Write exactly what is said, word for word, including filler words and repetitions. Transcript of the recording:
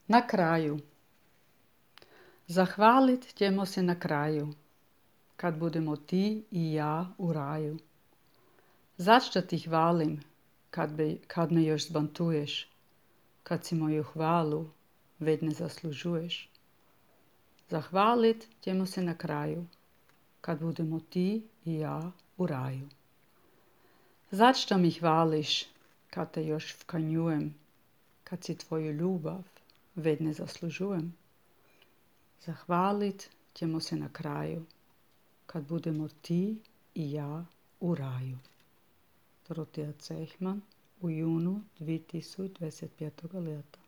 Na kraju. Zahvalit ćemo se na kraju, kad budemo ti i ja u raju. Zašto ti hvalim, kad, be, kad me još zbantuješ, kad si moju hvalu već ne zaslužuješ. Zahvalit ćemo se na kraju, kad budemo ti i ja u raju. Zašto mi hvališ, kad te još vkanjujem, kad si tvoju ljubav već ne zaslužujem. Zahvalit ćemo se na kraju, kad budemo ti i ja u raju. Dorotija Cehman u junu dvije tisuće dvadeset petog leta.